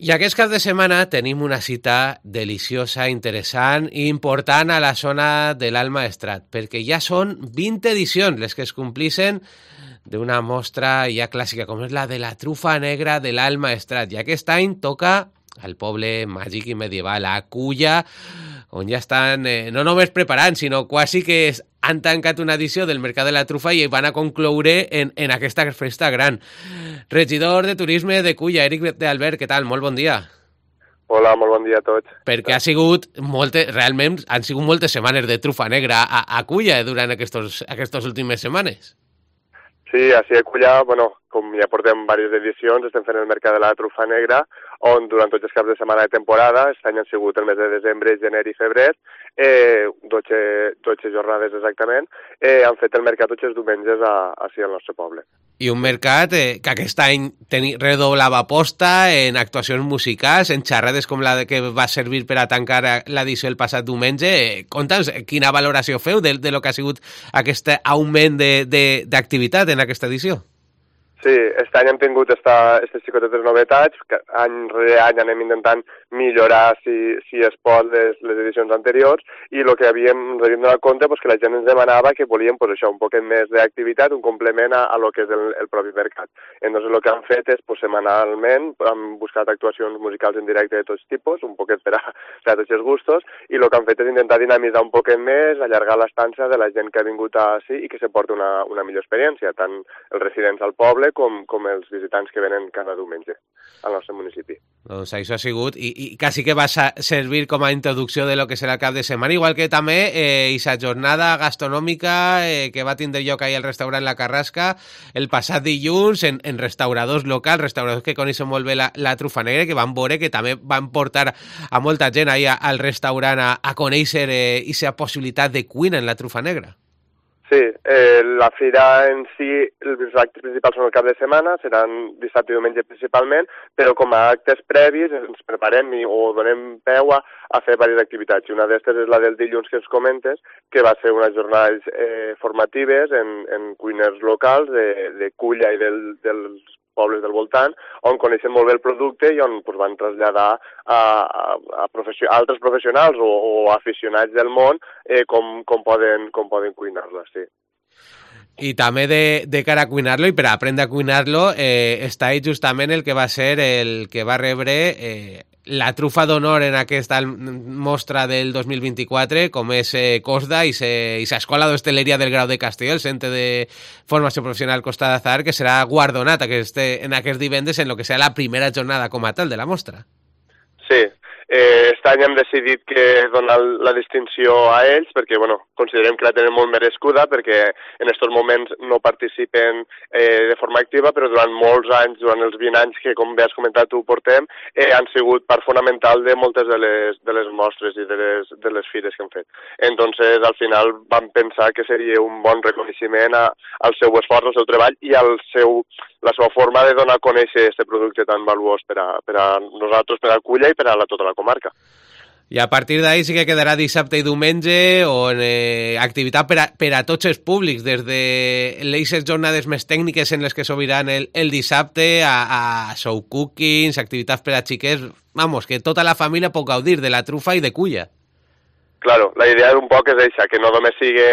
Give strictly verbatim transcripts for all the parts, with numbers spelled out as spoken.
I aquest cap de setmana tenim una cita deliciosa, interessant i important a la zona de l'Alt Maestrat, perquè ja són vint edicions les que es complixen d'una mostra ja clàssica, com és la de la trufa negra de l'Alt Maestrat. I aquest any toca al poble màgic i medieval, a Culla, on ja estan eh, no només preparant, sinó quasi que es, han tancat una edició del Mercat de la Trufa i van a concloure en, en aquesta festa gran. Regidor de Turisme de Culla, Eric de Albert, què tal? Molt bon dia. Hola, molt bon dia a tots. Perquè ha sigut moltes, realment han sigut moltes setmanes de trufa negra a, a Culla durant aquestes aquestes últimes setmanes. Sí, així a Culla, bueno, com ja portem diverses edicions, estem fent el Mercat de la Trufa Negra, on durant tots els caps de setmana de temporada, aquest any han sigut el mes de desembre, gener i febrer, eh, dotze, dotze jornades exactament, eh, han fet el mercat tots els diumenges a, així al nostre poble. I un mercat eh, que aquest any teni, redoblava aposta en actuacions musicals, en xerrades com la que va servir per a tancar l'edició el passat diumenge. Eh, Conta'ns quina valoració feu de, de lo que ha sigut aquest augment d'activitat en aquesta edició. Sí, aquest any hem tingut aquestes xicotetes novetats, que any rere any anem intentant millorar, si, si es pot, les, les edicions anteriors, i el que havíem, ens havíem donat compte pues, que la gent ens demanava que volíem pues, això, un poquet més d'activitat, un complement a, a lo que és el, el propi mercat. Entonces, el que han fet és, pues, setmanalment, han buscat actuacions musicals en directe de tots tipus, un poquet per a, per a tots els gustos, i el que han fet és intentar dinamitzar un poquet més, allargar l'estança de la gent que ha vingut així i que se porti una, una millor experiència, tant els residents al poble Com, com els visitants que venen cada diumenge al nostre municipi. Doncs això ha sigut, i, i quasi que va servir com a introducció de lo que serà el cap de setmana, igual que també eh, aquesta jornada gastronòmica eh, que va tindre lloc ahir al restaurant La Carrasca el passat dilluns en, en restauradors locals, restauradors que coneixen molt bé la, la trufa negra, que van veure que també van portar a molta gent ahir al restaurant a, a conèixer eh, aquesta possibilitat de cuina en la trufa negra. Sí, eh, la fira en si, els actes principals són el cap de setmana, seran dissabte i diumenge principalment, però com a actes previs ens preparem i, o donem peu a, a fer diverses activitats. I una d'aquestes és la del dilluns que ens comentes, que va ser unes jornades eh, formatives en, en cuiners locals de, de Culla i del, dels pobles del voltant, on coneixen molt bé el producte i on pues, van traslladar a, a, a, profession a altres professionals o, o aficionats del món eh, com, com poden, com poden cuinar-la, sí. I també de, de cara a cuinar-lo i per a aprendre a cuinar-lo eh, està ahí justament el que va ser el que va rebre eh, la trufa d'honor en aquesta mostra del dos mil vint-i-quatre, com és eh, COSDA i s'Escola d'Hostaleria del Grau de Castelló, el Centre de Formació Professional Costa d'Azahar, que serà guardonat aquest, en aquest divendres en el que serà la primera jornada com a tal de la mostra. Sí, eh, aquest any hem decidit que donar la distinció a ells perquè, bueno, considerem que la tenen molt merescuda perquè en aquests moments no participen eh, de forma activa, però durant molts anys, durant els vint anys que, com bé has comentat tu, portem, eh, han sigut part fonamental de moltes de les, de les mostres i de les, de les fires que han fet. Entonces, al final vam pensar que seria un bon reconeixement a, al seu esforç, al seu treball i al seu, la seva forma de donar a conèixer aquest producte tan valuós per a, per a nosaltres, per a Culla i per a la, tota la comarca. I a partir d'ahí sí que quedarà dissabte i diumenge on eh, activitat per a, per a tots els públics, des de les jornades més tècniques en les que s'obriran el, el dissabte a, a show cookings, activitats per a xiquets, vamos, que tota la família pot gaudir de la trufa i de Culla. Claro, la idea un poc és això, que no només sigui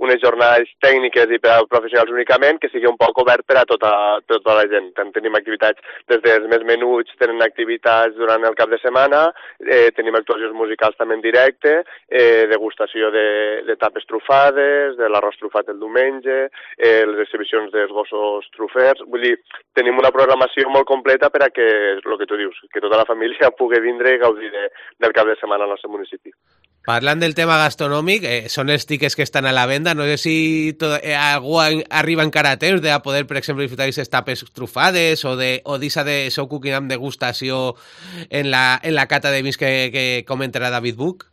unes jornades tècniques i per a professionals únicament, que sigui un poc obert per a tota, tota la gent. Tenim activitats des dels més menuts, tenen activitats durant el cap de setmana, eh, tenim actuacions musicals també en directe, eh, degustació de, de tapes trufades, de l'arròs trufat el diumenge, eh, les exhibicions dels gossos trufers. Vull dir, tenim una programació molt completa per a que, el que tu dius, que tota la família pugui vindre i gaudir de, del cap de setmana al nostre municipi. Parlant del tema gastronòmic, eh, són els tiquets que estan a la venda. No sé si tot, eh, algú arriba encara a temps de a poder, per exemple, disfrutar d'aquestes tapes trufades o de o d'isa de show cooking amb degustació en la, en la cata de vins que, que comentarà David Buch.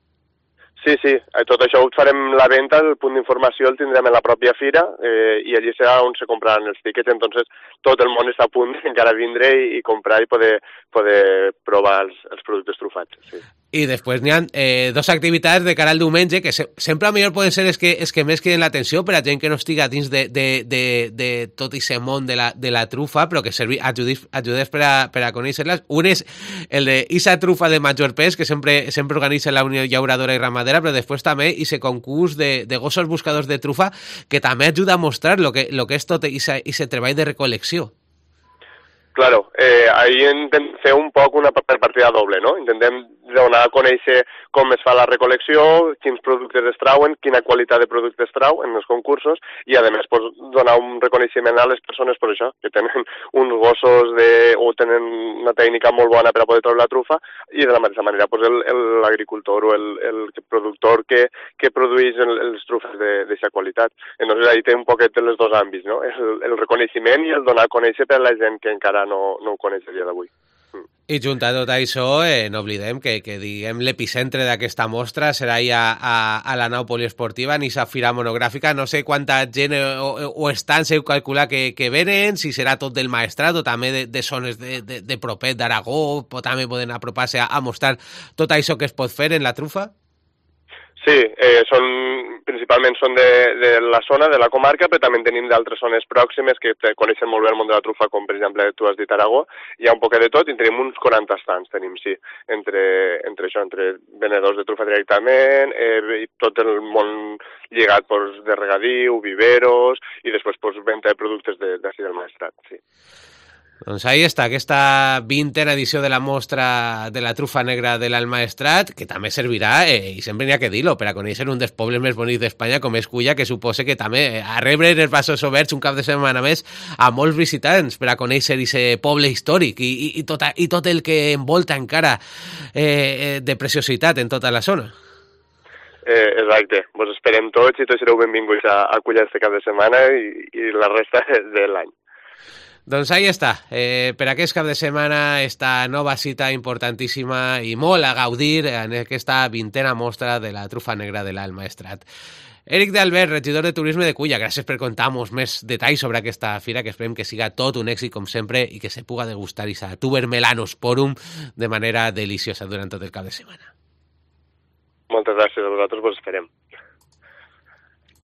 Sí, sí, tot això ho farem la venda, el punt d'informació el tindrem en la pròpia fira eh, i allí serà on se compraran els tiquets, entonces tot el món està a punt encara vindre i, i comprar i poder, poder provar els, els productes trufats. Sí. I després n'hi ha eh, dos activitats de cara al diumenge que se, sempre a millor poden ser els que, els que més criden l'atenció per a gent que no estiga dins de, de, de, de tot aquest món de la, de la trufa, però que servi, ajudis, ajudés per a, per a conèixer-les. Un és el de Isa trufa de major pes, que sempre, sempre organitza la Unió Llauradora i Ramadera, però després també aquest concurs de, de gossos buscadors de trufa, que també ajuda a mostrar lo que, lo que és tot aquest treball de recol·lecció. Claro, eh, ahí intentem fer un poc una partida doble, no? Intentem donar a conèixer com es fa la recol·lecció, quins productes es trauen, quina qualitat de productes es trau en els concursos i, a més, pues, donar un reconeixement a les persones per això, que tenen uns gossos de, o tenen una tècnica molt bona per a poder treure la trufa i, de la mateixa manera, pues, l'agricultor o el, el productor que, que produeix el, els trufes d'aquesta qualitat. Entonces, ahí té un poquet els dos àmbits, no? El, el reconeixement i el donar a conèixer per a la gent que encara no, no ho coneix a dia d'avui. I junt a tot això, eh, no oblidem que, que diguem l'epicentre d'aquesta mostra serà a, a, a la nau poliesportiva, en aquesta fira monogràfica. No sé quanta gent o, o estan, se calcula que, que venen, si serà tot del Maestrat o també de, de zones de, de, de propet d'Aragó, o també poden apropar-se a, a mostrar tot això que es pot fer en la trufa? Sí, eh, són, principalment són de, de la zona, de la comarca, però també tenim d'altres zones pròximes que coneixen molt bé el món de la trufa, com per exemple tu has dit Aragó. Hi ha un poquet de tot i tenim uns quaranta stands, tenim, sí, entre, entre això, entre venedors de trufa directament, eh, i tot el món lligat pues, de regadiu, viveros, i després pues, venda de productes d'ací de, del Maestrat, sí. Doncs ahí està, aquesta vintena edició de la mostra de la trufa negra de l'Almaestrat, que també servirà, eh, i sempre n'hi ha que dir-lo, per a conèixer un dels pobles més bonics d'Espanya, com és Culla, que suposa que també a rebre els braços oberts un cap de setmana més a molts visitants per a conèixer aquest poble històric i, i, i, tot, i tot el que envolta encara eh, de preciositat en tota la zona. Eh, exacte, vos esperem tots i tots sereu benvinguts a, a Culla este cap de setmana i, i la resta de l'any. Doncs ahí està, eh, per aquest cap de setmana esta nova cita importantíssima i molt a gaudir en aquesta vintena mostra de la trufa negra de l'Almaestrat. Eric d'Albert, regidor de Turisme de Culla, gràcies per contar-nos més detalls sobre aquesta fira, que esperem que siga tot un èxit com sempre i que se puga degustar aquesta Tuber Melanosporum de manera deliciosa durant tot el cap de setmana. Moltes gràcies a vosaltres, vos esperem.